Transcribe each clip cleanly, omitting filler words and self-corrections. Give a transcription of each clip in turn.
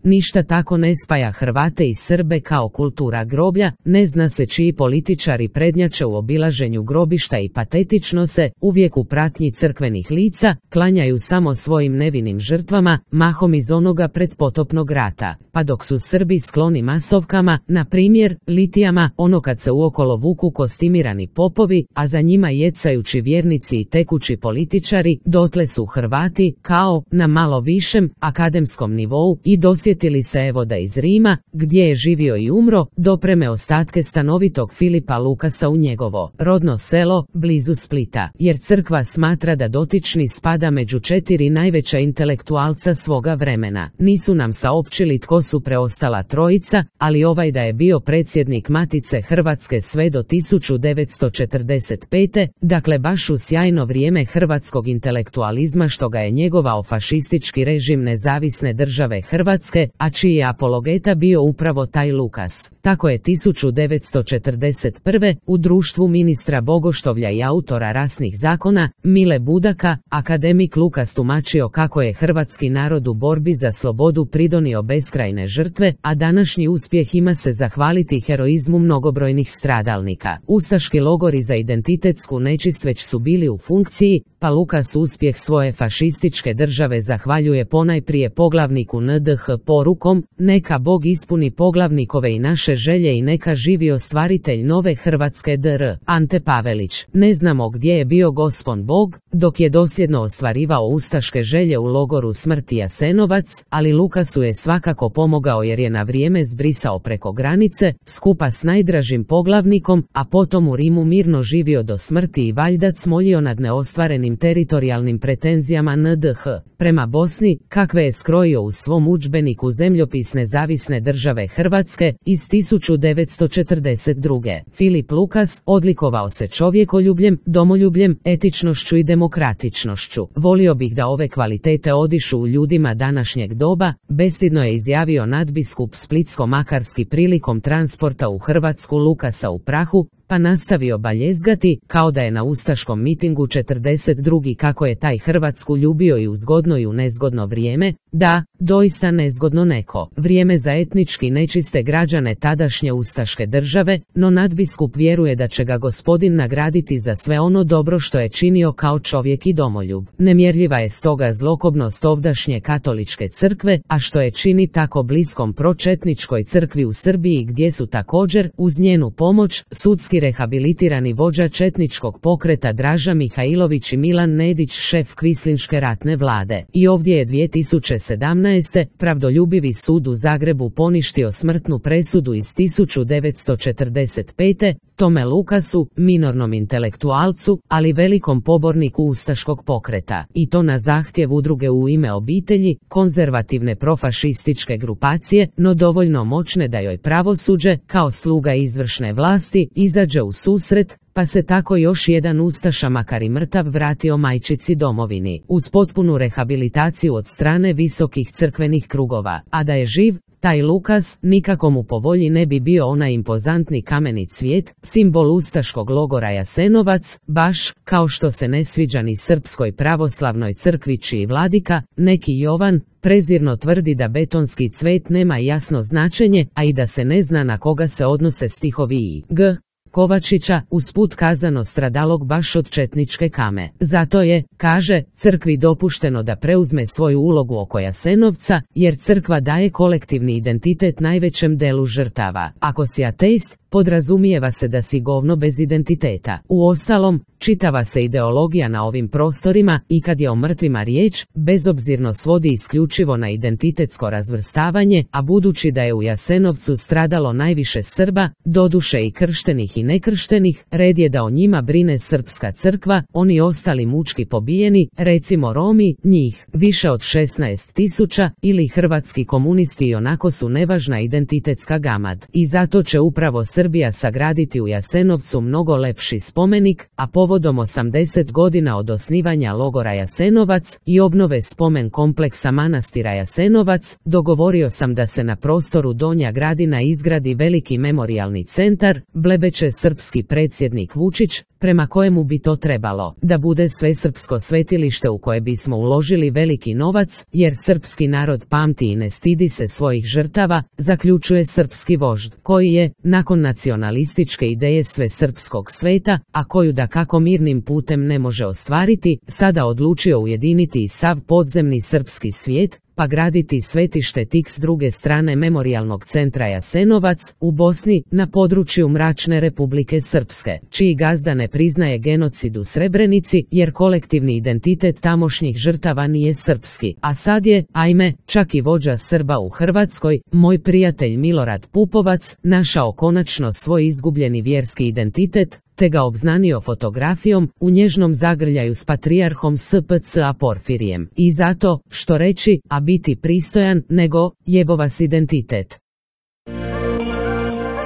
Ništa tako ne spaja Hrvate i Srbe kao kultura groblja, ne zna se čiji političari prednjače u obilaženju grobišta i patetično se, uvijek u pratnji crkvenih lica, klanjaju samo svojim nevinim žrtvama, mahom iz onoga predpotopnog rata. Pa dok su Srbi skloni masovkama, na primjer, litijama, ono kad se uokolo vuku kostimirani popovi, a za njima jecajući vjernici i tekući političari, dotle su Hrvati, kao, na malo višem, akademskom nivou, i dosjetili se evo da iz Rima, gdje je živio i umro, dopreme ostatke stanovitog Filipa Lukasa u njegovo rodno selo, blizu Splita, jer crkva smatra da dotični spada među 4 najveća intelektualca svoga vremena. Nisu nam saopćili tko su preostala trojica, ali ovaj da je bio predsjednik Matice Hrvatske sve do 1945. Dakle baš u sjajno vrijeme hrvatskog intelektualizma što ga je njegovao fašistički režim Nezavisne države Hrvatske, a čiji je apologeta bio upravo taj Lukas. Tako je 1941. u društvu ministra Bogoštovlja i autora rasnih zakona, Mile Budaka, akademik Lukas tumačio kako je hrvatski narod u borbi za slobodu pridonio beskrajne žrtve, a današnji uspjeh ima se zahvaliti heroizmu mnogobrojnih stradalnika. Ustaški logori za identitetsku nečist već su bili u funkciji, pa Lukas uspjeh svoje fašističke države zahvaljuje ponajprije poglavniku NDH porukom: neka Bog ispuni poglavnikove i naše želje i neka živi ostvaritelj nove Hrvatske dr. Ante Pavelić. Ne znamo gdje je bio gospon Bog, dok je dosljedno ostvarivao ustaške želje u logoru smrti Jasenovac, ali Lukasu je svakako pomogao jer je na vrijeme zbrisao preko granice, skupa s najdražim poglavnikom, a potom u Rimu mirno živio do smrti i valjda cmoljio nad neostvarenim teritorijalnim pretenzijama NDH prema Bosni, kakve je skrojio u svom udžbeniku Zemljopis Nezavisne države Hrvatske iz 1942. Filip Lukas odlikovao se čovjekoljubljem, domoljubljem, etičnošću i demokratičnošću. Volio bih da ove kvalitete odišu u ljudima današnjeg doba, bestidno je izjavio nadbiskup Splitsko-makarski prilikom transporta u Hrvatsku Lukasa u prahu, pa nastavio baljezgati, kao da je na ustaškom mitingu 42. kako je taj Hrvatsku ljubio i u zgodno i u nezgodno vrijeme, da, doista nezgodno neko vrijeme za etnički nečiste građane tadašnje ustaške države, no nadbiskup vjeruje da će ga Gospodin nagraditi za sve ono dobro što je činio kao čovjek i domoljub. Nemjerljiva je stoga zlokobnost ovdašnje katoličke crkve, a što je čini tako bliskom pročetničkoj crkvi u Srbiji gdje su također, uz njenu pomoć, sudski rehabilitirani vođa četničkog pokreta Draža Mihajlović i Milan Nedić, šef kvislinške ratne vlade. I ovdje je 2017. pravdoljubivi sud u Zagrebu poništio smrtnu presudu iz 1945. Tome Lukasu, minornom intelektualcu, ali velikom poborniku ustaškog pokreta. I to na zahtjev udruge U ime obitelji, konzervativne profašističke grupacije, no dovoljno moćne da joj pravosuđe, kao sluga izvršne vlasti, izađe u susret, pa se tako još jedan ustaša makar i mrtav vratio majčici domovini, uz potpunu rehabilitaciju od strane visokih crkvenih krugova, a da je živ, taj Lukas, nikako mu po volji ne bi bio onaj impozantni kameni cvijet, simbol ustaškog logora Jasenovac, baš kao što se ne sviđa ni Srpskoj pravoslavnoj crkvi čiji vladika, neki Jovan, prezirno tvrdi da betonski cvet nema jasno značenje, a i da se ne zna na koga se odnose stihovi i G. Kovačića, usput kazano stradalog baš od četničke kame. Zato je, kaže, crkvi dopušteno da preuzme svoju ulogu oko Jasenovca, jer crkva daje kolektivni identitet najvećem delu žrtava. Ako si ateist, podrazumijeva se da si govno bez identiteta. Uostalom, čitava se ideologija na ovim prostorima, i kad je o mrtvima riječ, bezobzirno svodi isključivo na identitetsko razvrstavanje, a budući da je u Jasenovcu stradalo najviše Srba, doduše i krštenih i nekrštenih, red je da o njima brine srpska crkva, oni ostali mučki pobijeni, recimo Romi, njih više od 16.000, ili hrvatski komunisti ionako su nevažna identitetska gamad. I zato će upravo Srbija sagraditi u Jasenovcu mnogo lepši spomenik, a povodom 80 godina od osnivanja logora Jasenovac i obnove spomen kompleksa manastira Jasenovac, dogovorio sam da se na prostoru Donja Gradina izgradi veliki memorijalni centar, blebeće srpski predsjednik Vučić, prema kojemu bi to trebalo da bude svesrpsko svetilište u koje bismo uložili veliki novac, jer srpski narod pamti i ne stidi se svojih žrtava, zaključuje srpski vožd, koji je, nakon nacionalističke ideje svesrpskog sveta, a koju dakako mirnim putem ne može ostvariti, sada odlučio ujediniti i sav podzemni srpski svijet, pa graditi svetište tik s druge strane memorijalnog centra Jasenovac, u Bosni, na području mračne Republike Srpske, čiji gazda ne priznaje genocid u Srebrenici, jer kolektivni identitet tamošnjih žrtava nije srpski, a sad je, ajme, čak i vođa Srba u Hrvatskoj, moj prijatelj Milorad Pupovac, našao konačno svoj izgubljeni vjerski identitet, te ga obznanio fotografijom u nježnom zagrljaju s patrijarhom SPC-a Porfirijem. I zato, što reći, a biti pristojan, nego, jebo vas identitet.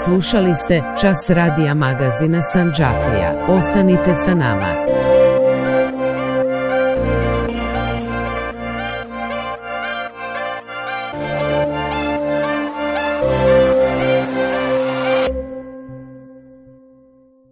Slušali ste Čas radija magazina Sandžaklija. Ostanite sa nama.